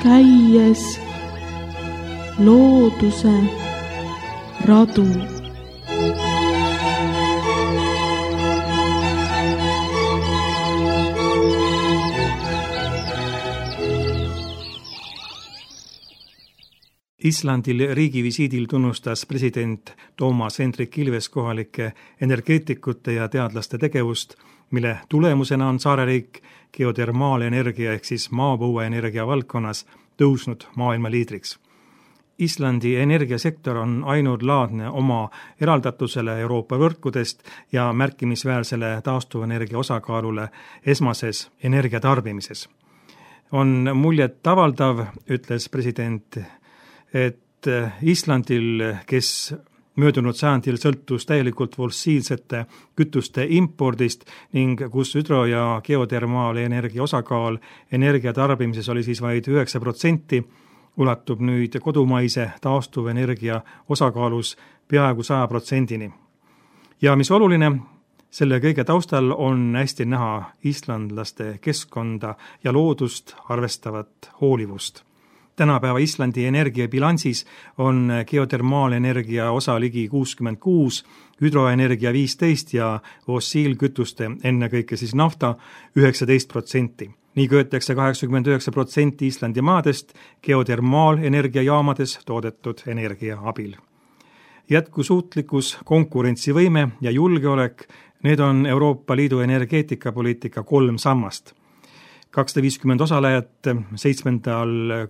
käies looduse radu. Islandil riigivisiidil tunnustas president Toomas Hendrik Ilves kohalike energeetikute ja teadlaste tegevust, mille tulemusena on saareriik geotermaalenergia ehk siis maapõueenergia valdkonnas tõusnud maailma liidriks. Islandi energiasektor on ainulaadne oma eraldatusele Euroopa võrkudest ja märkimisväärsele taastuvenergia osakaalule esmases energiatarbimises. On muljet avaldav, ütles president, et Islandil, kes möödunud sajandil sõltus täielikult fossiilsete kütuste impordist ning kus hüdro- ja geotermaalenergia osakaal energiatarbimises oli siis vaid 9%, ulatub nüüd kodumaise taastuvenergia osakaalus peaaegu 100%-ni. Ja mis oluline, selle kõige taustal on hästi näha islandlaste keskkonda ja loodust arvestavat hoolivust. Tänapäeva Islandi energiabilansis on geotermaalenergia osa ligi 66, hüdroenergia 15 ja fossiilkütuste, ennekõike siis nafta, 19%. Nii köetakse 89% Islandi maadest geotermaalenergiajaamades toodetud energia abil. Jätkusuutlikkus, konkurentsivõime ja julgeolek, need on Euroopa Liidu energeetikapoliitika 3 sammast. 250 osalejat 7.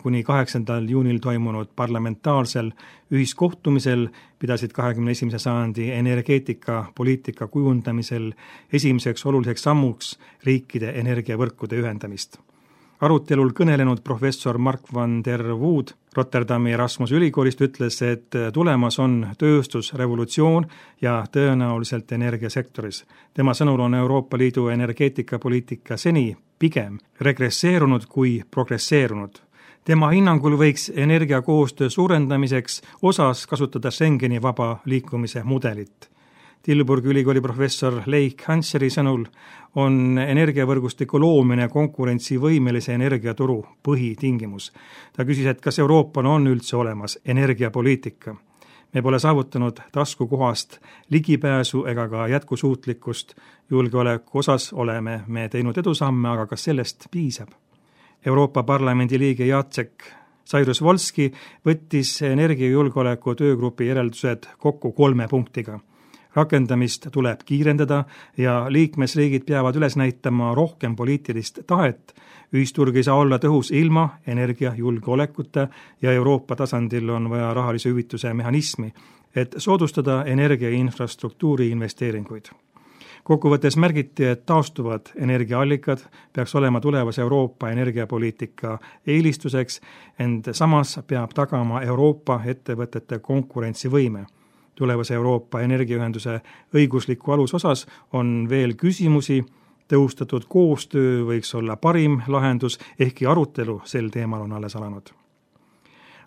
kuni 8. juunil toimunud parlamentaarsel ühiskohtumisel pidasid 21. sajandi energeetikapoliitika kujundamisel esimeseks oluliseks sammuks riikide energiavõrkude ühendamist. Arutelul kõnelenud professor Mark van der Wood Rotterdami Erasmuse ülikoolist ütles, et tulemas on tööstusrevolutsioon ja tõenäoliselt energiasektoris. Tema sõnul on Euroopa Liidu energeetikapoliitika seni pigem regresseerunud kui progresseerunud. Tema hinnangul võiks energiakoostöö suurendamiseks osas kasutada Schengeni vaba liikumise mudelit. Tilburgi ülikooli professor Leik Hanseri sõnul on energiavõrgustiku loomine konkurentsivõimelise energiaturu põhitingimus. Ta küsis, et kas Euroopal on üldse olemas energiapoliitika. Me pole saavutanud taskukohast ligipääsu ega ka jätkusuutlikkust. Julgeoleku osas oleme me teinud edusamme, aga kas sellest piisab? Euroopa Parlamendi liige Jacek Sairus-Volski võttis energiajulgeoleku töögrupi järeldused kokku 3 punktiga. Rakendamist tuleb kiirendada ja liikmesriigid peavad üles näitama rohkem poliitilist tahet. Ühisturg ei saa olla tõhus ilma energiajulgeolekuta ja Euroopa tasandil on vaja rahalise hüvituse mehhanismi, et soodustada energiainfrastruktuuri investeeringuid. Kokkuvõttes märgiti, et taastuvad energiaallikad peaks olema tulevase Euroopa energiapoliitika eelistuseks, ent samas peab tagama Euroopa ettevõtete konkurentsivõime. Tulevase Euroopa energiaühenduse õigusliku alusosas on veel küsimusi, tõhustatud koostöö võiks olla parim lahendus, ehkki arutelu sel teemal on alles alanud.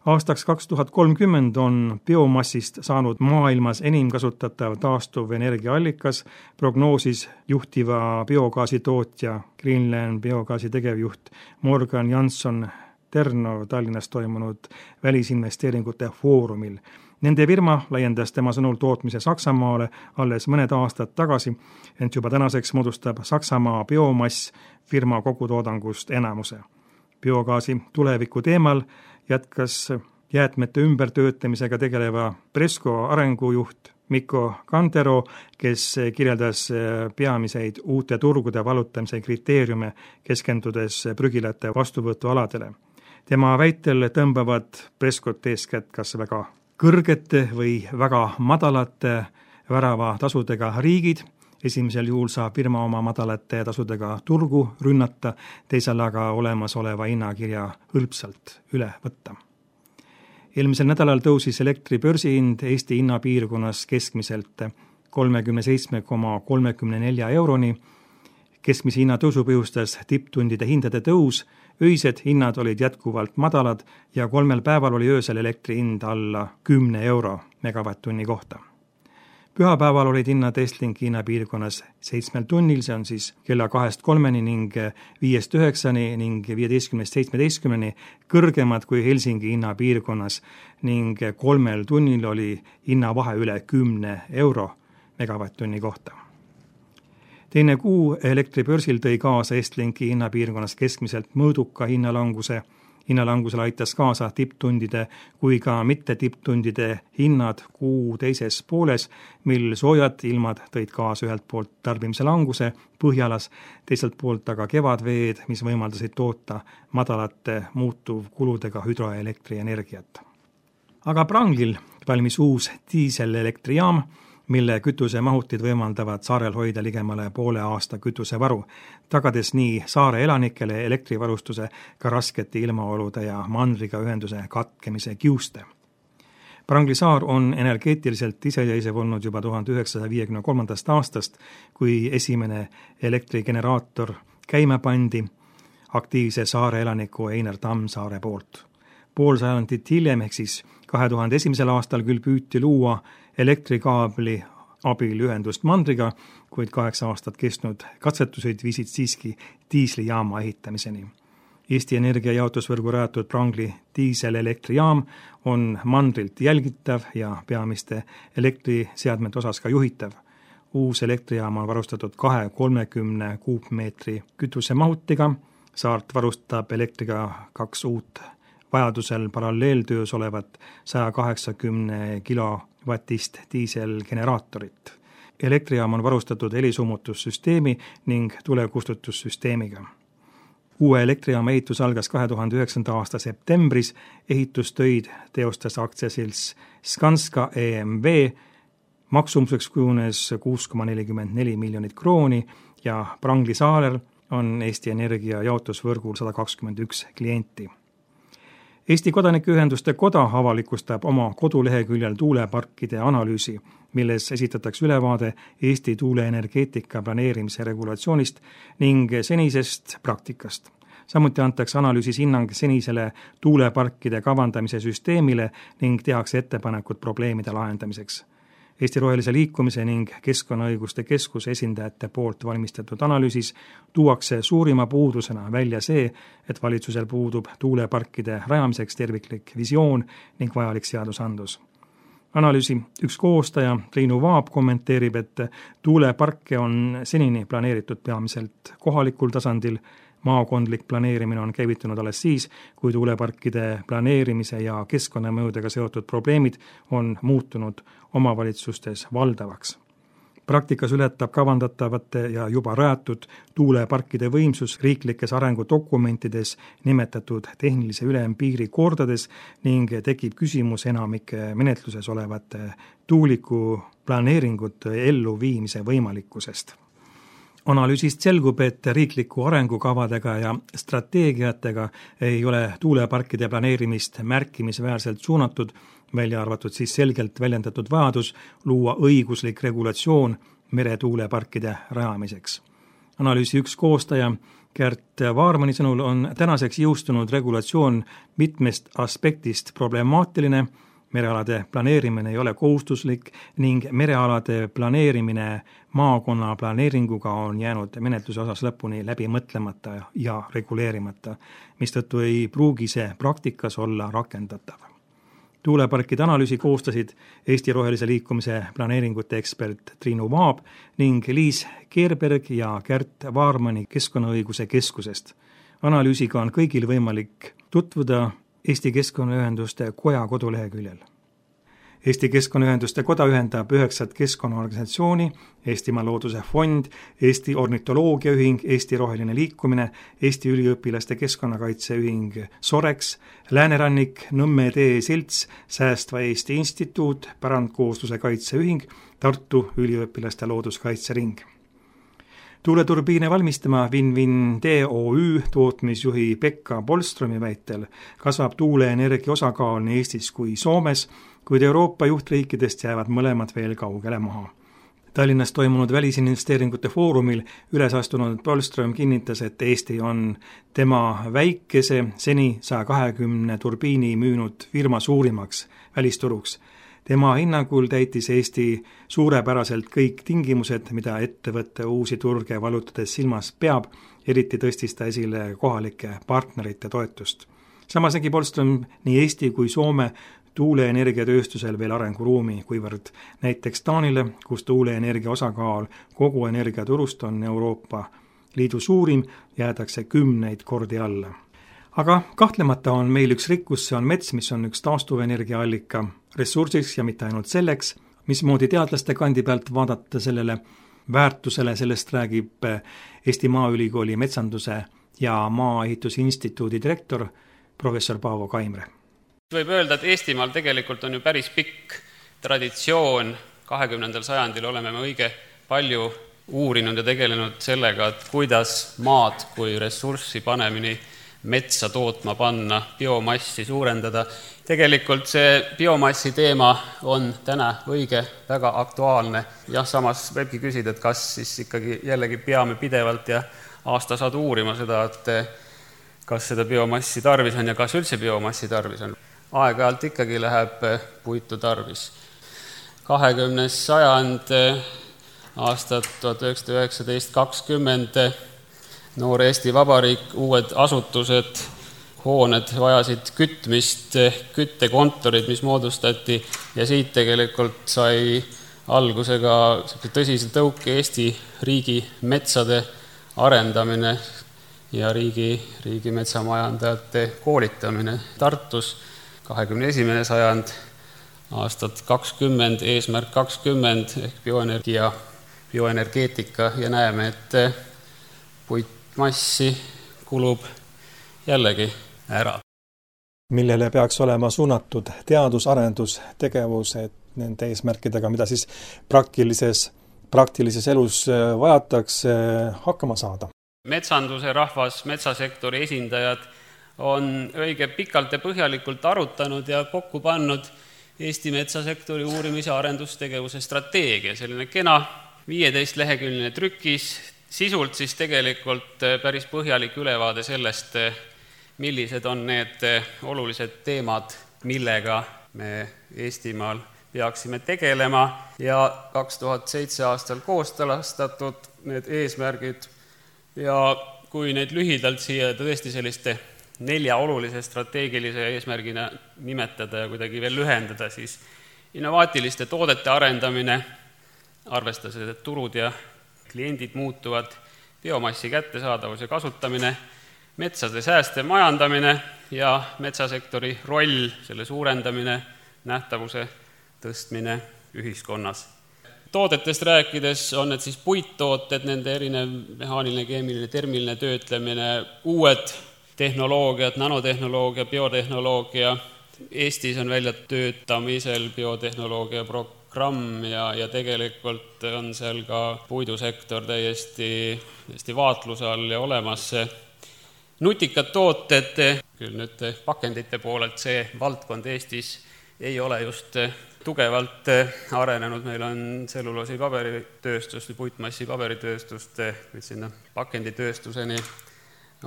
Aastaks 2030 on biomassist saanud maailmas enim kasutatav taastuv energiaallikas, prognoosis juhtiva biogaasitootja Greenland biogaasi tegevjuht Morgan Jansson Terno Tallinnas toimunud välisinvesteeringute foorumil. Nende firma laiendas tema sõnul tootmise Saksamaale alles mõned aastad tagasi, ent juba tänaseks moodustab Saksamaa biomass firma kogutoodangust enamuse. Biogaasi tuleviku teemal jätkas jäätmete ümbertöötamisega tegeleva Presco arengujuht Mikko Kantero, kes kirjeldas peamiseid uute turgude valutamise kriteeriume, keskendudes prügilate vastuvõtualadele. Tema väitel tõmbavad Prescot eeskätt kas väga kõrgete või väga madalate väravatasudega riigid. Esimesel juhul saab firma oma madalate tasudega turgu rünnata, teisel aga olemasoleva hinnakirja hõlpsalt üle võtta. Eelmisel nädalal tõusis elektri börsihind Eesti hinnapiirkonnas keskmiselt 37,34 euroni. Keskmise hinna tõusu põhjustas tipptundide hindade tõus, öised hinnad olid jätkuvalt madalad ja 3 päeval oli öösel elektri hind alla 10 euro megavatt-tunni kohta. Pühapäeval olid hinnad Estlinki hinnapiirkonnas 7 tunnil, see on siis kella 2-3 ning 5-9 ning 15-17 kõrgemad kui Helsingi hinnapiirkonnas ning 3 tunnil oli hinnavahe üle 10 euro megavatt-tunni kohta. Teine kuu elektribörsil tõi kaasa Estlinki hinnapiirkonnas keskmiselt mõõduka hinnalanguse. Hinnalangusele aitas kaasa tipptundide kui ka mitte tipptundide hinnad kuu teises pooles, mil soojad ilmad tõid kaasa ühelt poolt tarbimise languse Põhjalas, teiselt poolt aga kevadveed, mis võimaldasid toota madalate muutuvkuludega hüdroelektrienergiat. Aga Pranglil valmis uus diiselelektrijaam, mille kütusemahutid võimaldavad saarel hoida ligemale poole aasta kütusevaru, tagades nii saare elanikele elektrivarustuse ka raskete ilmaolude ja mandriga ühenduse katkemise kiuste. Prangli saar on energeetiliselt iseseisev olnud juba 1953. aastast, kui esimene elektrigeneraator käima pandi aktiivse saare elaniku Einar Tammsaare poolt. Pool sajandit hiljem, ehk siis 2001. aastal küll püüti luua elektrikaabli abil ühendust mandriga, kuid 8 aastat kestnud katsetused viisid siiski diislijaama ehitamiseni. Eesti Energia jaotusvõrgu rajatud Prangli diiselelektrijaam on mandrilt jälgitav ja peamiste elektriseadmete osas ka juhitav. Uus elektrijaam on varustatud 230 kuupmeetri kütusemahutiga, saart varustab elektriga 2 uut vajadusel paralleeltöös olevat 180 kilovatist diiselgeneraatorit. Elektrijaam on varustatud helisummutussüsteemi ning tulekustutussüsteemiga. Uue elektrijaama ehitus algas 2009. aasta septembris, ehitustöid teostas aktsiaselts Skanska EMV, maksumuseks kujunes 6,44 miljonit krooni ja Prangli saarel on Eesti Energia jaotusvõrgul 121 klienti. Eesti Kodanikuühenduste Koda avalikustab oma koduleheküljel tuuleparkide analüüsi, milles esitatakse ülevaade Eesti tuuleenergeetika planeerimise regulatsioonist ning senisest praktikast. Samuti antakse analüüsis hinnang senisele tuuleparkide kavandamise süsteemile ning tehakse ettepanekud probleemide lahendamiseks. Eesti Rohelise Liikumise ning Keskkonnaõiguste Keskuse esindajate poolt valmistatud analüüsis tuuakse suurima puudusena välja see, et valitsusel puudub tuuleparkide rajamiseks terviklik visioon ning vajalik seadusandlus. Analüüsi üks koostaja, Triinu Vaab, kommenteerib, et tuuleparke on senini planeeritud peamiselt kohalikul tasandil. Maakondlik planeerimine on käivitunud alles siis, kui tuuleparkide planeerimise ja keskkonnamõjudega seotud probleemid on muutunud omavalitsustes valdavaks. Praktikas ületab kavandatavate ja juba rajatud tuuleparkide võimsus riiklikes arengudokumentides nimetatud tehnilise ülempiiri kordades ning tekib küsimus enamike menetluses olevate tuuliku planeeringute elluviimise võimalikkusest. Analüüsist selgub, et riikliku arengukavadega ja strateegiatega ei ole tuuleparkide planeerimist märkimisväärselt suunatud, välja arvatud siis selgelt väljendatud vajadus luua õiguslik regulatsioon meretuuleparkide rajamiseks. Analüüsi üks koostaja, Gert Vaarmani sõnul on tänaseks jõustunud regulatsioon mitmest aspektist problemaatiline, merealade planeerimine ei ole kohustuslik ning merealade planeerimine maakonna planeeringuga on jäänud menetluse osas lõpuni läbi mõtlemata ja reguleerimata, mistõttu ei pruugi see praktikas olla rakendatav. Tuuleparkide analüüsi koostasid Eesti Rohelise Liikumise planeeringute ekspert Triinu Vaab ning Liis Keerberg ja Gert Vaarmani Keskkonnaõiguse Keskusest. Analüüsiga on kõigil võimalik tutvuda Eesti Keskkonnaühenduste Koja koduleheküljel. Eesti Keskkonnaühenduste Koda ühendab 9 keskkonnaorganisatsiooni, Eestimaa Looduse Fond, Eesti Ornitoloogiaühing, Eesti Roheline Liikumine, Eesti Üliõpilaste Keskkonnakaitseühing Sorex, Läänerannik, Nõmme tee selts, Säästva Eesti Instituut, Pärandkoosluse kaitseühing, Tartu Üliõpilaste Looduskaitsering. Tuuleturbiine valmistama Win-Win DOÜ tootmisjuhi Pekka Polstromi väitel kasvab tuuleenergia osakaal nii Eestis kui Soomes, kuid Euroopa juhtriikidest jäävad mõlemad veel kaugele maha. Tallinnas toimunud välisinvesteeringute foorumil üles astunud Polstrom kinnitas, et Eesti on tema väikese, seni 120 turbiini müünud firma suurimaks välisturuks. Tema hinnangul täitis Eesti suurepäraselt kõik tingimused, mida ettevõtte uusi turge valutades silmas peab, eriti tõstis ta esile kohalike partnerite toetust. Samas nägi Polström nii Eesti kui Soome tuuleenergiatööstusel veel arenguruumi, kuivõrd näiteks Taanile, kus tuuleenergia osakaal kogu energiaturust on Euroopa Liidu suurim, jäädakse 10 kordi alla. Aga kahtlemata on meil üks rikkus, see on mets, mis on üks taastuvenergiaallika ressursiks ja mitte ainult selleks, mismoodi teadlaste kandi pealt vaadata sellele väärtusele, sellest räägib Eesti Maaülikooli metsanduse ja Maaehitusinstituudi direktor professor Paavo Kaimre. Võib öelda, et Eestimaal tegelikult on ju päris pikk traditsioon, 20. sajandil oleme me õige palju uurinud ja tegelenud sellega, et kuidas maad kui ressurssi panemini metsa tootma panna, biomassi suurendada. Tegelikult see biomassi teema on täna õige väga aktuaalne. Ja samas võibki küsida, et kas siis ikkagi jällegi peame pidevalt ja aastasadu uurima seda, et kas seda biomassi tarvis on ja kas üldse biomassi tarvis on. Aeg-ajalt ikkagi läheb puitu tarvis. 20. sajand, aastad 1919-20, noor Eesti Vabariik, uued asutused, hooned vajasid kütmist, küttekontorid, mis moodustati ja siit tegelikult sai algusega tõsise tõuke Eesti riigi metsade arendamine ja riigi metsamajandajate koolitamine Tartus. 21. sajand, aastad 20, eesmärk 20 ehk bioenergeetika ja näeme, et puitmassi kulub jällegi ära. Millele peaks olema suunatud teadus-arendustegevused nende eesmärkidega, mida siis praktilises elus vajatakse hakkama saada? Metsanduse rahvas, metsasektori esindajad on õige pikalt ja põhjalikult arutanud ja kokku pannud Eesti metsasektori uurimis- ja arendustegevuse strateegia, selline kena 15-leheküljeline trükis, sisult siis tegelikult päris põhjalik ülevaade sellest, millised on need olulised teemad, millega me Eestimaal peaksime tegelema ja 2007 aastal kooskõlastatud need eesmärgid ja kui neid lühidalt siia tõesti selliste 4 olulise strateegilise eesmärgina nimetada ja kuidagi veel lühendada, siis innovaatiliste toodete arendamine, arvestades, et turud ja kliendid muutuvad, biomassi kättesaadavus ja kasutamine, metsade säästev majandamine ja metsasektori roll, selle suurendamine, nähtavuse tõstmine ühiskonnas. Toodetest rääkides on need siis puittooted, nende erinev mehaaniline, keemiline, termiline töötlemine, uued tehnoloogiad, nanotehnoloogia, biotehnoloogia. Eestis on välja töötamisel biotehnoloogia programm ja tegelikult on seal ka puidusektor täiesti vaatluse all ja olemas. Nutikad tooted, küll nüüd pakendite poolelt see valdkond Eestis ei ole just tugevalt arenenud, meil on tselluloosi paberitööstust või puitmassi paberitööstust, kuid sinna pakenditööstuseni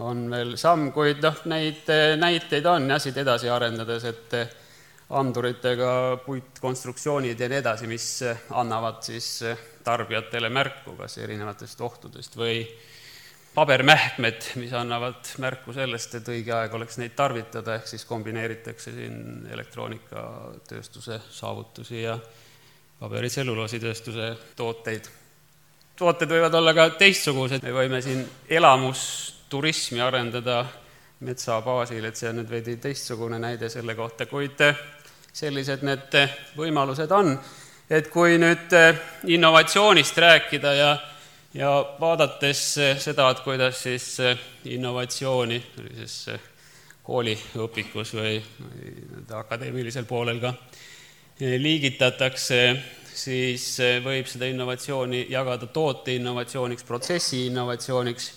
on veel samm, kuid neid näiteid on ja siit edasi arendades, et anduritega puitkonstruktsioonid ja nii edasi, mis annavad siis tarbijatele märku kas erinevatest ohtudest või pabermähkmed, mis annavad märku sellest, et õige aeg oleks neid tarvitada, ehk siis kombineeritakse siin elektroonikatööstuse saavutusi ja paberitsellulaasitööstuse tooteid. Tooted võivad olla ka teistsugused, me võime siin elamusturismi arendada metsa baasil, et see on nüüd veidi teistsugune näide selle kohta, kuid sellised need võimalused on, et kui nüüd innovatsioonist rääkida ja vaadates seda, et kuidas siis innovatsiooni kooliõpikus või akadeemilisel poolel ka liigitatakse, siis võib seda innovatsiooni jagada toote innovatsiooniks, protsessi innovatsiooniks.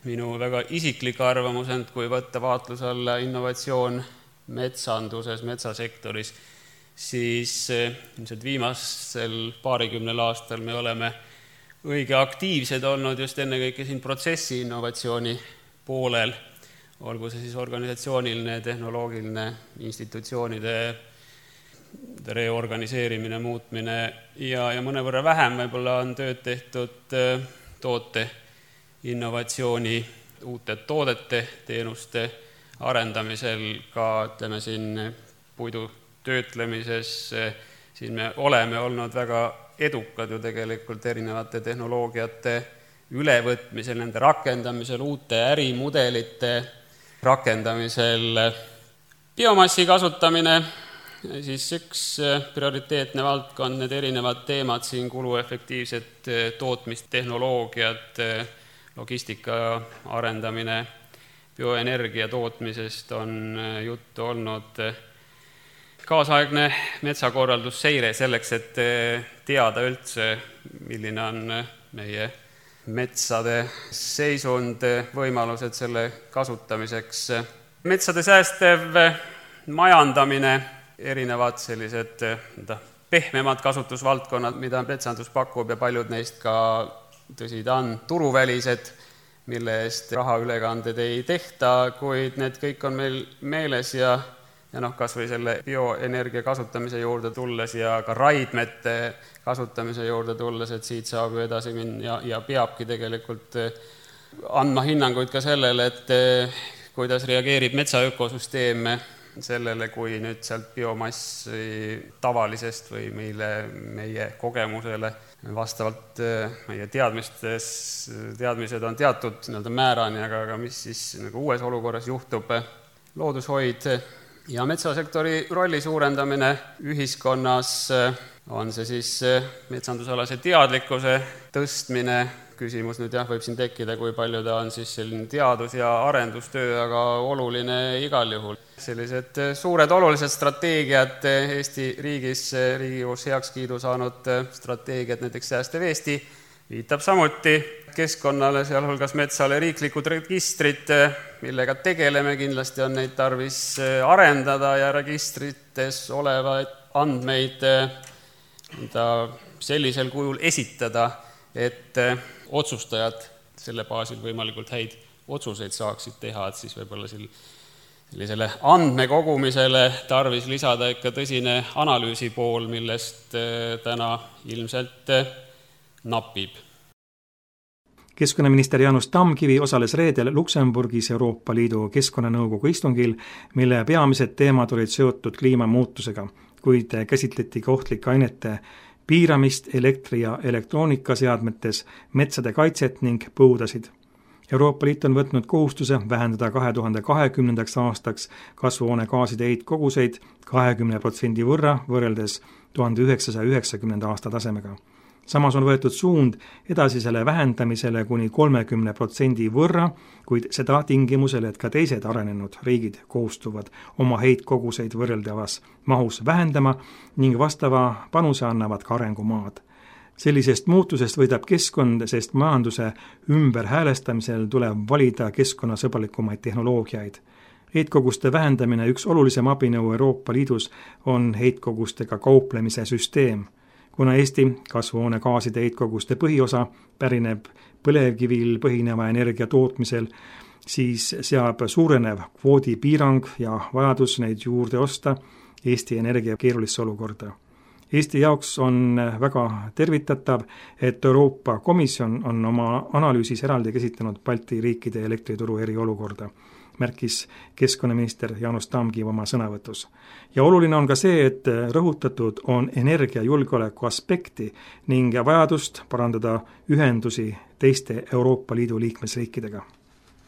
Minu väga isiklik arvamus on, kui võtta vaatluse alla innovatsioon metsanduses, metsasektoris, siis ilmselt viimasel 20 aastal me oleme õige aktiivsed olnud just ennekõike siin protsessi innovatsiooni poolel, olgu see siis organisatsiooniline, tehnoloogiline, institutsioonide reorganiseerimine, muutmine ja mõnevõrra vähem võib-olla on tööd tehtud toote innovatsiooni, uute toodete, teenuste arendamisel, ka ütleme siin puidu töötlemises, siin me oleme olnud väga edukad ju tegelikult erinevate tehnoloogiate ülevõtmisel, nende rakendamisel, uute ärimudelite rakendamisel. Biomassi kasutamine, siis üks prioriteetne valdkond, need erinevad teemad siin, kuluefektiivsed tootmistehnoloogiad, logistika arendamine, bioenergia tootmisest on juttu olnud, kaasaegne metsakorraldusseire selleks, et teada üldse, milline on meie metsade seisund, võimalused selle kasutamiseks. Metsade säästev majandamine, erinevad sellised pehmemad kasutusvaldkonnad, mida metsandus pakub ja paljud neist ka, tõsi ta on, turuvälised, mille eest rahaülekanded ei tehta, kuid need kõik on meil meeles ja kas või selle bioenergia kasutamise juurde tulles ja ka raidmete kasutamise juurde tulles, et siit saab ju edasi minna ja peabki tegelikult andma hinnanguid ka sellele, et kuidas reageerib metsaökosüsteem sellele, kui nüüd sealt biomassi tavalisest või meie kogemusele vastavalt meie teadmised on teatud määrani, aga mis siis nagu uues olukorras juhtub, loodushoid ja metsasektori rolli suurendamine ühiskonnas, on see siis metsandusalase teadlikkuse tõstmine, küsimus nüüd võib siin tekkida, kui palju ta on siis selline teadus- ja arendustöö, aga oluline igal juhul. Sellised suured olulised strateegiad Eesti riigis, Riigikogus heakskiidu saanud strateegiad, näiteks Säästev Eesti, viitab samuti keskkonnale, sealhulgas metsale, riiklikud registrid, millega tegeleme, kindlasti on neid tarvis arendada ja registrites olevaid andmeid sellisel kujul esitada, et otsustajad selle baasil võimalikult häid otsuseid saaksid teha, et siis võib-olla sellisele andmekogumisele tarvis lisada ikka tõsine analüüsi pool, millest täna ilmselt napib. Keskkonnaminister Jaanus Tamkivi osales reedel Luksemburgis Euroopa Liidu Keskkonnanõukogu istungil, mille peamised teemad olid seotud kliimamuutusega, kuid käsitleti ka ohtlike ainete piiramist elektri- ja elektroonikaseadmetes, metsade kaitset ning põudasid. Euroopa Liit on võtnud kohustuse vähendada 2020. aastaks kasvuhoonegaaside heitkoguseid 20% võrra võrreldes 1990. aasta tasemega. Samas on võetud suund edasisele vähendamisele kuni 30% võrra, kuid seda tingimusel, et ka teised arenenud riigid kohustuvad oma heitkoguseid võrreldavas mahus vähendama ning vastava panuse annavad ka arengumaad. Sellisest muutusest võidab keskkond, sest majanduse ümberhäälestamisel tuleb valida keskkonnasõbralikumaid tehnoloogiaid. Heitkoguste vähendamine üks olulisem abinõu Euroopa Liidus on heitkogustega kauplemise süsteem. Kuna Eesti kasvuhoonegaaside heitkoguste põhiosa pärineb põlevkivil põhineva energia tootmisel, siis seab suurenev kvoodipiirang ja vajadus neid juurde osta Eesti Energia keerulisse olukorda. Eesti jaoks on väga tervitatav, et Euroopa Komisjon on oma analüüsis eraldi käsitlenud Balti riikide elektrituru eriolukorda, märkis keskkonnaminister Jaanus Tamkiv oma sõnavõtus. Ja oluline on ka see, et rõhutatud on energiajulgeoleku aspekti ning vajadust parandada ühendusi teiste Euroopa Liidu liikmesriikidega.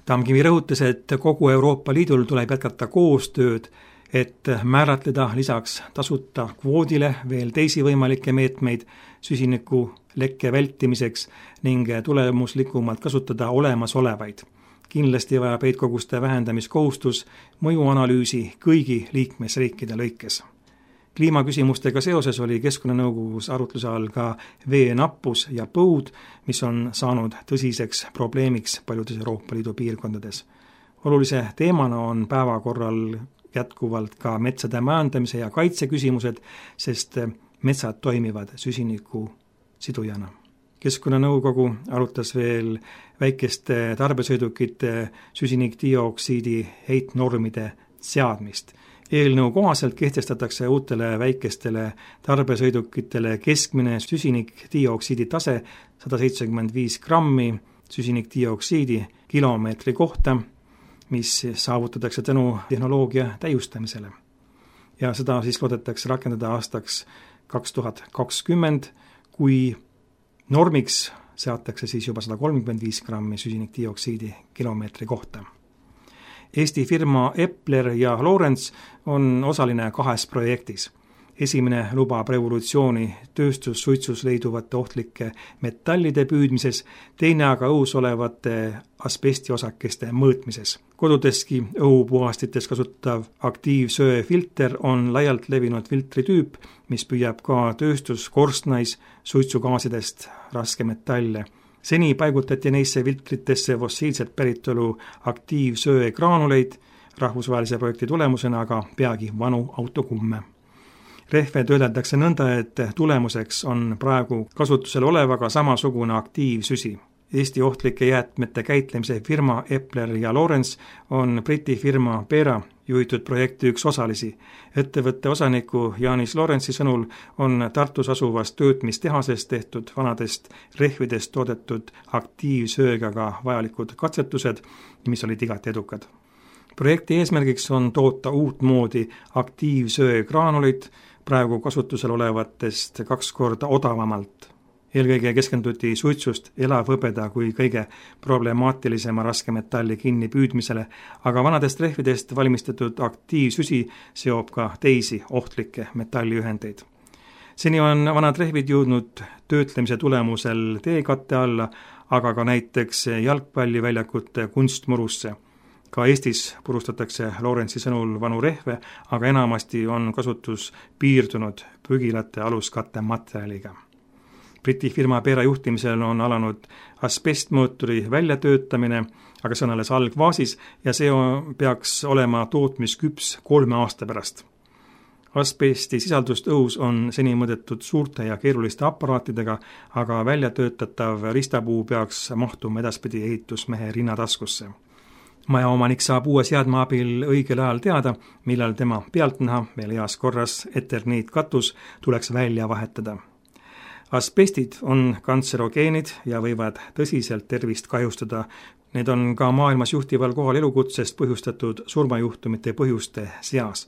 Tamkivi rõhutas, et kogu Euroopa Liidul tuleb jätkata koostööd, et määratleda lisaks tasuta kvoodile veel teisi võimalikke meetmeid süsiniku lekke vältimiseks ning tulemuslikumalt kasutada olemasolevaid. Kindlasti vajab heitkoguste vähendamiskohustus mõjuanalüüsi kõigi liikmesriikide lõikes. Kliimaküsimustega seoses oli Keskkonnanõukogus arutluse all ka veenappus ja põud, mis on saanud tõsiseks probleemiks paljudes Euroopa Liidu piirkondades. Olulise teemana on päevakorral jätkuvalt ka metsade majandamise ja kaitse küsimused, sest metsad toimivad süsiniku sidujana. Keskkonnanõukogu arutas veel väikeste tarbesõidukite süsinikdioksiidi heitnormide seadmist. Eelnõu kohaselt kehtestatakse uutele väikestele tarbesõidukitele keskmine süsinikdioksiidi tase 175 grammi süsinikdioksiidi kilomeetri kohta, mis saavutatakse tänu tehnoloogia täiustamisele. Ja seda siis loodetakse rakendada aastaks 2020, kui normiks seatakse siis juba 135 grammi süsinikdioksiidi kilomeetri kohta. Eesti firma Epler ja Lorentz on osaline 2 projektis. Esimene lubab revolutsiooni tööstussuitsus leiduvate ohtlike metallide püüdmises, teine aga õhus olevate asbestiosakeste mõõtmises. Kodudeski õhupuhastites kasutav aktiivsöefilter on laialt levinud filtritüüp, mis püüab ka tööstuskorstnais suitsugaasidest raskemetalle. Seni paigutati neisse filtritesse fossiilset päritolu aktiivsöegraanuleid, rahvusvahelise projekti tulemusena aga peagi vanu autokumme. Rehve töödeldakse nõnda, et tulemuseks on praegu kasutusel olevaga samasugune aktiivsüsi. Eesti ohtlike jäätmete käitlemise firma Epler ja Lorentz on Briti firma Pera juhitud projekti üks osalisi. Ettevõtte osaniku Janis Lorentzi sõnul on Tartus asuvast töötmistehasest tehtud vanadest rehvidest toodetud aktiivsööga ka vajalikud katsetused, mis olid igati edukad. Projekti eesmärgiks on toota uut moodi aktiivsöegraanulit praegu kasutusel olevatest 2 korda odavamalt. Eelkõige keskenduti suitsust elavhõbeda kui kõige problemaatilisema raskemetalli kinni püüdmisele, aga vanadest rehvidest valmistatud aktiivsüsi seob ka teisi ohtlikke metalliühendeid. Seni on vanad rehvid jõudnud töötlemise tulemusel teekatte alla, aga ka näiteks jalgpalliväljakute kunstmurusse. Ka Eestis purustatakse Lorentzi sõnul vanu rehve, aga enamasti on kasutus piirdunud prügilate aluskatte materjaliga. Briti firma Pera juhtimisel on alanud asbestmootori väljatöötamine, aga see on alles algfaasis ja see peaks olema tootmisküps 3 aasta pärast. Asbesti sisaldust õhus on seni mõõdetud suurte ja keeruliste aparaatidega, aga väljatöötatav ristapuu peaks mahtuma edaspidi ehitusmehe rinnataskusse. Majaomanik saab uue seadme abil õigel ajal teada, millal tema pealtnäha veel heas korras eterniitkatus tuleks välja vahetada. Asbestid on kantserogeenid ja võivad tõsiselt tervist kahjustada. Need on ka maailmas juhtival kohal elukutsest põhjustatud surmajuhtumite põhjuste seas.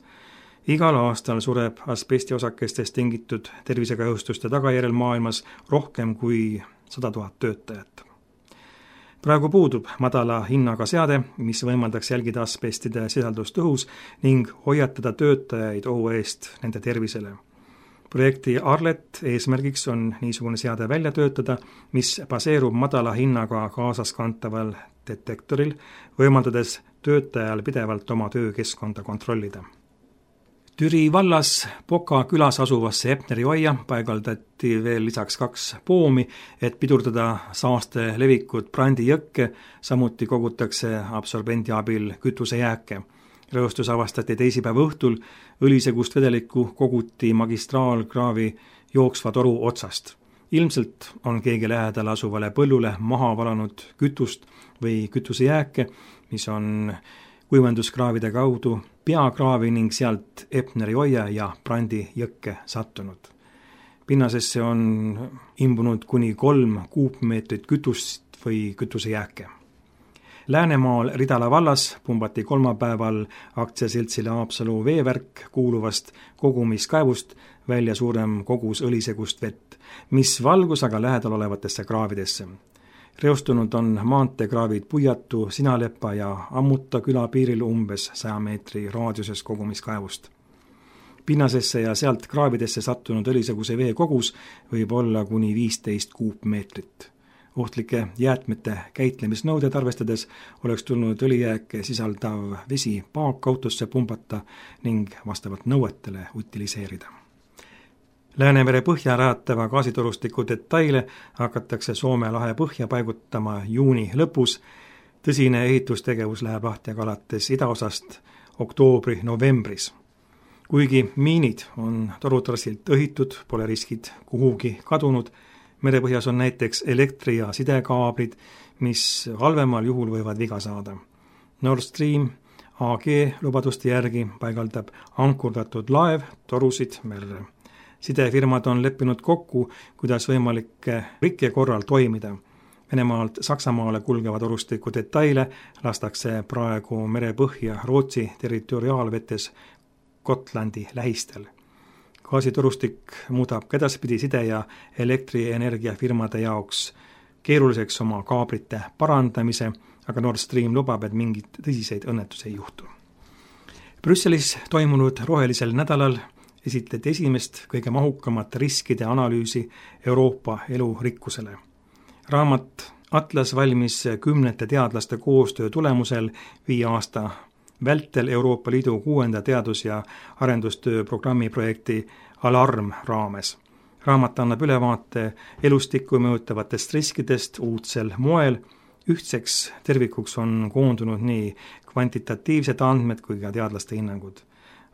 Igal aastal sureb asbestiosakestest tingitud tervisekahjustuste tagajärjel maailmas rohkem kui 100 000 töötajat. Praegu puudub madala hinnaga seade, mis võimaldaks jälgida asbestide sisaldust õhus ning hoiatada töötajaid ohu eest nende tervisele. Projekti Arlet eesmärgiks on niisugune seade välja töötada, mis baseerub madala hinnaga kaasaskantaval detektoril, võimaldades töötajal pidevalt oma töökeskkonda kontrollida. Türi vallas Poka külas asuvasse Epneri hoia paigaldati veel lisaks 2 poomi, et pidurdada saaste levikut Brandi jõkke, samuti kogutakse absorbendi abil kütusejääke. Reostus avastati teisipäeva õhtul, õlisegust vedelikku koguti magistraalkraavi jooksva toru otsast. Ilmselt on keegi lähedal asuvale põllule maha valanud kütust või kütusejääke, mis on kuivenduskraavide kaudu peakraavi ning sealt Epneri hoia ja Brandi jõkke sattunud. Pinnasesse on imbunud kuni 3 kuupmeetrit kütust või kütusejääke. Läänemaal Ridala vallas pumbati kolmapäeval aktsiaseltsile Haapsalu veevärk kuuluvast kogumiskaevust välja suurem kogus õlisegust vett, mis valgus aga lähedal olevatesse kraavidesse. Reostunud on maanteekraavid Puiatu, Sinalepa ja Ammuta küla piiril umbes 100 meetri raadiuses kogumiskaevust. Pinnasesse ja sealt kraavidesse sattunud õliseguse vee kogus võib olla kuni 15 kuupmeetrit. Ohtlike jäätmete käitlemisnõuded arvestades oleks tulnud õlijääke sisaldav vesi paakautosse pumbata ning vastavalt nõuetele utiliseerida. Läänemere põhja rajatava gaasitorustiku detaile hakatakse Soome lahe põhja paigutama juuni lõpus. Tõsine ehitustegevus läheb lahti aga alates idaosast oktoobri-novembris. Kuigi miinid on torutrassilt õhitud, pole riskid kuhugi kadunud. Merepõhjas on näiteks elektri- ja sidekaablid, mis halvemal juhul võivad viga saada. Nord Stream AG lubaduste järgi paigaldab ankurdatud laev torusid merre. Sidefirmad on leppinud kokku, kuidas võimalikke rikke korral toimida. Venemaalt Saksamaale kulgevad torustiku detaile lastakse praegu merepõhja Rootsi territoriaalvetes Gotlandi lähistel. Gaasitorustik muudab edaspidi side- ja elektrienergiafirmade jaoks keeruliseks oma kaablite parandamise, aga Nord Stream lubab, et mingit tõsiseid õnnetusi ei juhtu. Brüsselis toimunud rohelisel nädalal esitleti esimest kõige mahukamat riskide analüüsi Euroopa elurikkusele. Raamat Atlas valmis 10 teadlaste koostöö tulemusel 5 aasta vältel Euroopa Liidu 6. teadus- ja arendustöö programmi projekti Alarm raames. Raamat annab ülevaate elustikku mõjutavatest riskidest uudsel moel. Ühtseks tervikuks on koondunud nii kvantitatiivsed andmed kui ka teadlaste hinnangud.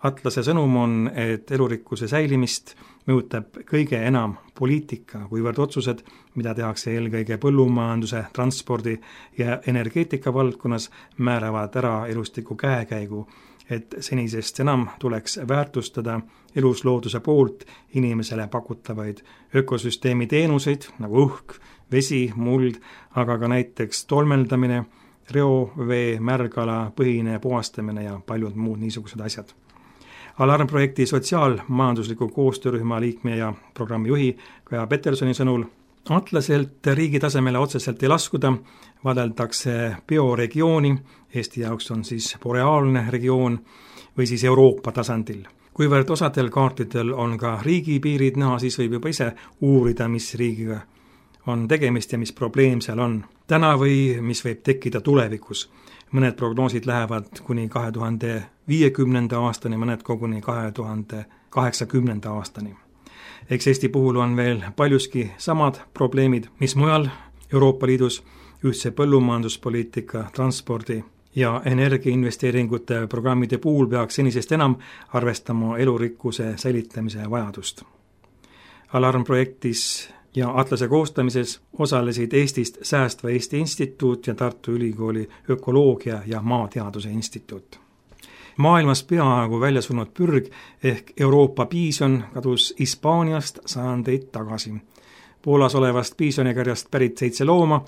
Atlase sõnum on, et elurikkuse säilimist mõjutab kõige enam poliitika, kuivõrd otsused, mida tehakse eelkõige põllumajanduse, transpordi ja energeetika valdkonnas, määravad ära elustiku käekäigu, et senisest enam tuleks väärtustada eluslooduse poolt inimesele pakutavaid ökosüsteemi teenuseid nagu õhk, vesi, muld, aga ka näiteks tolmeldamine, reovee, märgala, põhine puhastamine ja paljud muud niisugused asjad. Alarmprojekti sotsiaalmajandusliku koostöörühma liikme ja programmi juhi Kaja Petersoni sõnul Atlaselt riigi tasemele otseselt ei laskuda, vaadeldakse bioregiooni, Eesti jaoks on siis boreaalne regioon, või siis Euroopa tasandil. Kuivõrd osadel kaartidel on ka riigipiirid näha, siis võib juba ise uurida, mis riigiga on tegemist ja mis probleem seal on täna või mis võib tekkida tulevikus. Mõned prognoosid lähevad kuni 2050. aastani, mõned koguni 2080. aastani. Eks Eesti puhul on veel paljuski samad probleemid, mis mujal Euroopa Liidus, ühtse põllumajanduspoliitika, transpordi ja energiainvesteeringute programmide puhul peaks senisest enam arvestama elurikkuse säilitamise vajadust. Alarmprojektis ja Atlase koostamises osalesid Eestist Säästva Eesti Instituut ja Tartu Ülikooli ökoloogia ja maateaduse instituut. Maailmas peaaegu välja surnud pürg ehk Euroopa piison kadus Hispaaniast sajandeid tagasi. Poolas olevast piisonikarjast pärit 7 looma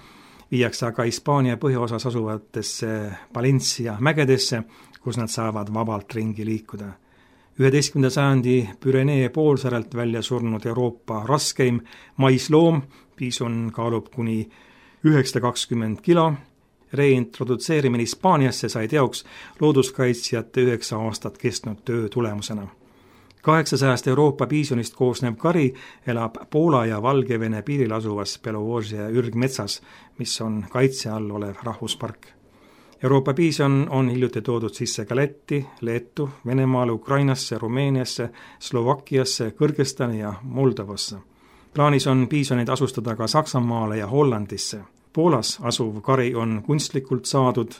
viiakse aga Hispaania põhjaosas asuvatesse Valencia mägedesse, kus nad saavad vabalt ringi liikuda. 11. sajandi Pürenee poolsaarelt välja surnud Euroopa raskeim maisloom, piison kaalub kuni 920 kilo. Reintrodutseerimine Hispaaniasse sai teoks looduskaitsjate 9 aastat kestnud töö tulemusena. 800 Euroopa piisonist koosnev kari elab Poola ja Valgevene piiril asuvas Belovožje ürgmetsas, mis on kaitse all olev rahvuspark. Euroopa piison on hiljuti toodud sisse ka Lätti, Leetu, Venemaale, Ukrainasse, Rumeeniasse, Slovakkiasse, Kõrgõzstani ja Moldovasse. Plaanis on piisoneid asustada ka Saksamaale ja Hollandisse. Poolas asuv kari on kunstlikult saadud.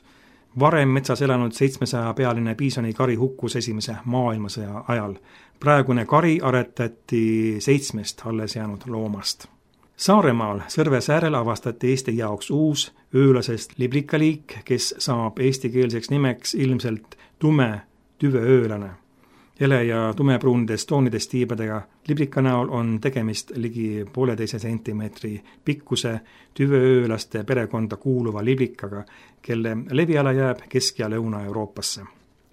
Varem metsas elanud 700-pealine piisoni kari hukkus esimese maailmasõja ajal. Praegune kari aretati 7 alles jäänud loomast. Saaremaal Sõrves äärel avastati Eesti jaoks uus öölasest liblikaliik, kes saab eestikeelseks nimeks ilmselt tume tüveöölane. Ele- ja tumepruunidest toonidest tiibadega liblika näol on tegemist ligi 1,5 sentimeetri pikkuse tüveöölaste perekonda kuuluva liblikaga, kelle leviala jääb Kesk- ja Lõuna-Euroopasse.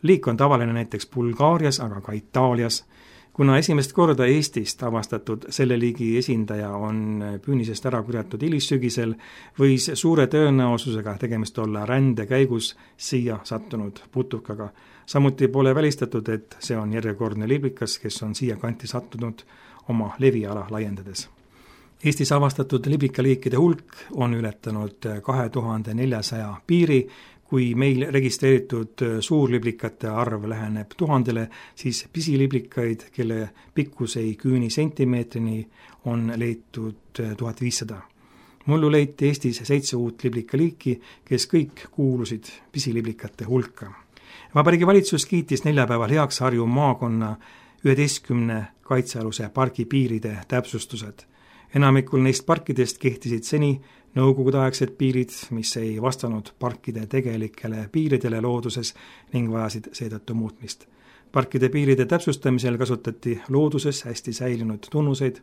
Liik on tavaline näiteks Bulgaarias, aga ka Itaalias. Kuna esimest korda Eestist avastatud selle liigi esindaja on püünisest ära kurjatud hilissügisel, võis suure tõenäosusega tegemist olla rände käigus siia sattunud putukaga. Samuti pole välistatud, et see on järjekordne liblikas, kes on siia kanti sattunud oma leviala laiendades. Eestis avastatud liblikaliikide hulk on ületanud 2400 piiri. Kui meil registreeritud suurliblikate arv läheneb 1000, siis pisiliblikaid, kelle pikkus ei küüni sentimeetrini, on leitud 1500. Mullu leiti Eestis 7 uut liblikaliiki, kes kõik kuulusid pisiliblikate hulka. Vabariigi valitsus kiitis neljapäeval heaks Harju maakonna 11 kaitsealuse pargi piiride täpsustused. Enamikul neist parkidest kehtisid seni nõukogudeaegsed piirid, mis ei vastanud parkide tegelikele piiridele looduses ning vajasid seetõttu muutmist. Parkide piiride täpsustamisel kasutati looduses hästi säilinud tunnuseid,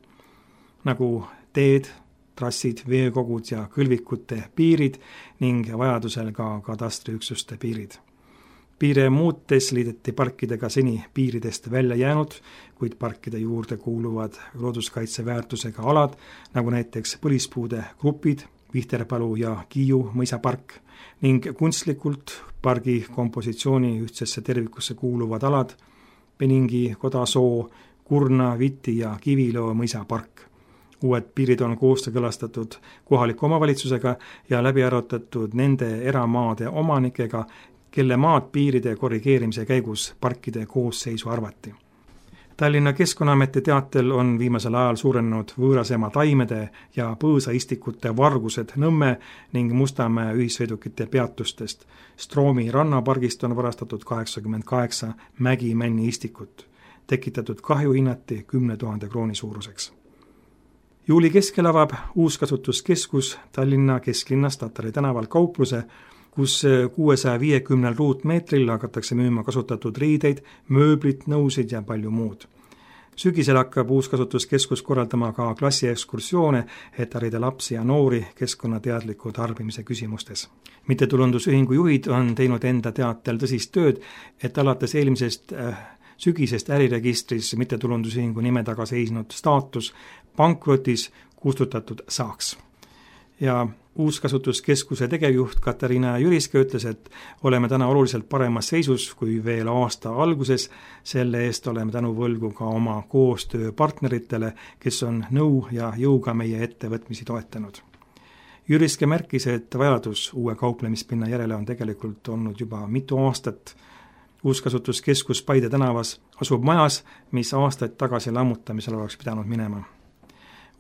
nagu teed, trassid, veekogud ja kõlvikute piirid ning vajadusel ka katastriüksuste piirid. Piire muutes liideti parkidega seni piiridest välja jäänud, kuid parkide juurde kuuluvad looduskaitseväärtusega alad, nagu näiteks põlispuude grupid, Vihterpalu ja Kiiu mõisapark ning kunstlikult pargi kompositsiooni ühtsesse tervikusse kuuluvad alad, Peningi, Kodasoo, Kurna, Viti ja Kiviloo mõisapark. Uued piirid on koostöökõlastatud kohaliku omavalitsusega ja läbi arutatud nende eramaade omanikega, kelle maad piiride korrigeerimise käigus parkide koosseisu arvati. Tallinna Keskkonnaameti teatel on viimasel ajal suurenenud võõrasema taimede ja põõsaistikute vargused Nõmme ning Mustamäe ühissõidukite peatustest. Stroomi rannapargist on varastatud 88 mägimänni istikut. Tekitatud kahju hinnati 10 000 krooni suuruseks. Juuli keskel avab uuskasutuskeskus Tallinna kesklinnas Tatari tänaval kaupluse, kus 650 ruutmeetril hakatakse müüma kasutatud riideid, mööblit, nõusid ja palju muud. Sügisel hakkab uuskasutuskeskus korraldama ka klassiekskursioone, et harida lapsi ja noori keskkonnateadliku tarbimise küsimustes. Mittetulundusühingu juhid on teinud enda teatel tõsist tööd, et alates eelmisest sügisest äriregistris mittetulundusühingu nime taga seisnud staatus pankrotis kustutatud saaks. Ja uuskasutuskeskuse tegevjuht Katariina Jüriske ütles, et oleme täna oluliselt paremas seisus kui veel aasta alguses, selle eest oleme tänu võlgu ka oma koostööpartneritele, kes on nõu ja jõuga meie ettevõtmisi toetanud. Jüriske märkis, et vajadus uue kauplemispinna järele on tegelikult olnud juba mitu aastat. Uuskasutuskeskus Paide tänavas asub majas, mis aastaid tagasi lammutamisel oleks pidanud minema.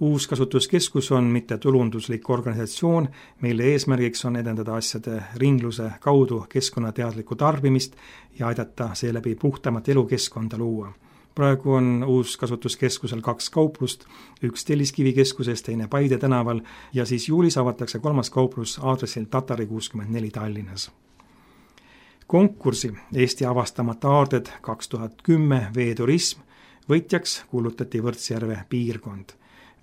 Uuskasutuskeskus on mittetulunduslik organisatsioon, mille eesmärgiks on edendada asjade ringluse kaudu keskkonnateadlikku tarbimist ja aidata seeläbi puhtamat elukeskkonda luua. Praegu on uuskasutuskeskusel 2 kauplust, üks Telliskivikeskuses, teine Paide tänaval ja siis juulis avatakse 3. kauplus aadressil Tatari 64 Tallinnas. Konkursi Eesti avastamata aarded 2010 veeturism võitjaks kuulutati Võrtsjärve piirkond.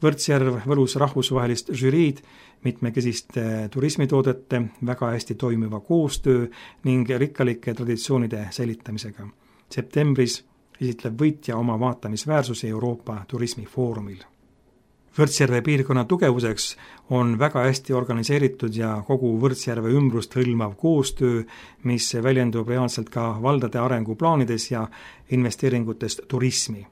Võrtsjärv võlus rahvusvahelist žüriid mitmekesiste turismitoodete, väga hästi toimiva koostöö ning rikkalike traditsioonide säilitamisega. Septembris esitleb võitja oma vaatamisväärsusi Euroopa turismifoorumil. Võrtsjärve piirkonna tugevuseks on väga hästi organiseeritud ja kogu Võrtsjärve ümbrust hõlmav koostöö, mis väljendub reaalselt ka valdade arenguplaanides ja investeeringutest turismi.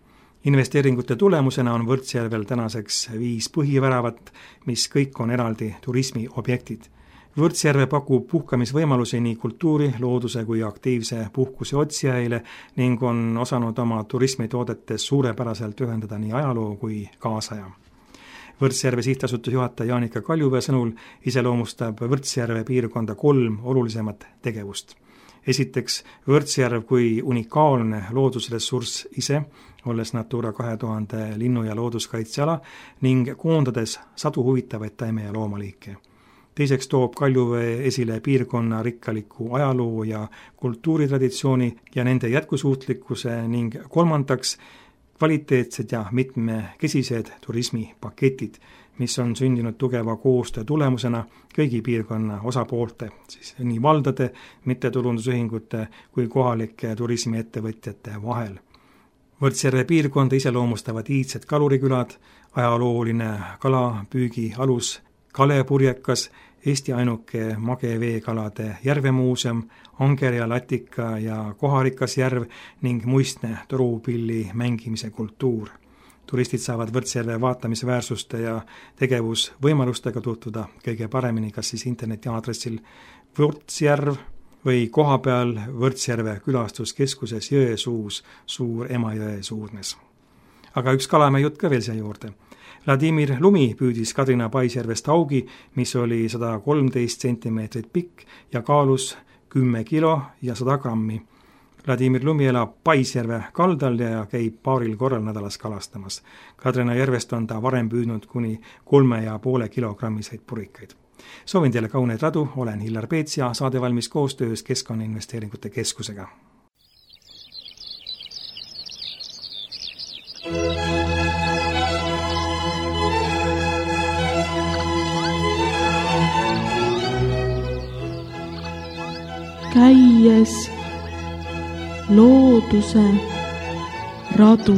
Investeeringute tulemusena on Võrtsjärvel tänaseks 5 põhiväravat, mis kõik on eraldi turismiobjektid. Võrtsjärve pakub puhkamisvõimalusi nii kultuuri, looduse kui aktiivse puhkuse otsijaile ning on osanud oma turismitoodetes suurepäraselt ühendada nii ajaloo kui kaasaja. Võrtsjärve sihtasutus juhataja Jaanika Kaljuvee sõnul iseloomustab Võrtsjärve piirkonda 3 olulisemat tegevust. Esiteks, Võrtsjärv kui unikaalne loodusressurss ise, olles Natura 2000 linnu- ja looduskaitseala ning koondades sadu huvitavaid taime- ja loomaliike. Teiseks toob Kaljuvee esile piirkonna rikkaliku ajaloo ja kultuuritraditsiooni ja nende jätkusuutlikkuse ning kolmandaks kvaliteetsed ja mitmekesised turismipaketid, mis on sündinud tugeva koostöö tulemusena kõigi piirkonna osapoolte, siis nii valdade, mittetulundusühingute kui kohalike turismiettevõtjate vahel. Võrtsjärve piirkonda iseloomustavad iidsed kalurikülad, ajalooline kalapüügi alus Kalepurjekas, Eesti ainuke mageveekalade järvemuuseum, Anger ja Latika ja Koharikas järv ning muistne torupilli mängimise kultuur. Turistid saavad Võrtsjärve vaatamisväärsuste ja tegevusvõimalustega tutvuda kõige paremini kas siis interneti aadressil Võrtsjärv või kohapeal Võrtsjärve külastuskeskuses Jõesuus, Suur Emajõe suudmes. Aga üks Kalamäe jutt ka veel siia juurde. Vladimir Lumi püüdis Kadrina Paisjärvest augi, mis oli 113 cm pikk ja kaalus 10 kilo ja 100 grammi. Vladimir Lumi elab Paisjärve kaldal ja käib paaril korral nädalas kalastamas. Kadrina järvest on ta varem püüdnud kuni 3,5 kilogrammiseid purikaid. Soovin teile kauneid radu, olen Hillar Peets ja saade valmis koostöös Keskkonnainvesteeringute Keskusega. Käies looduse radu.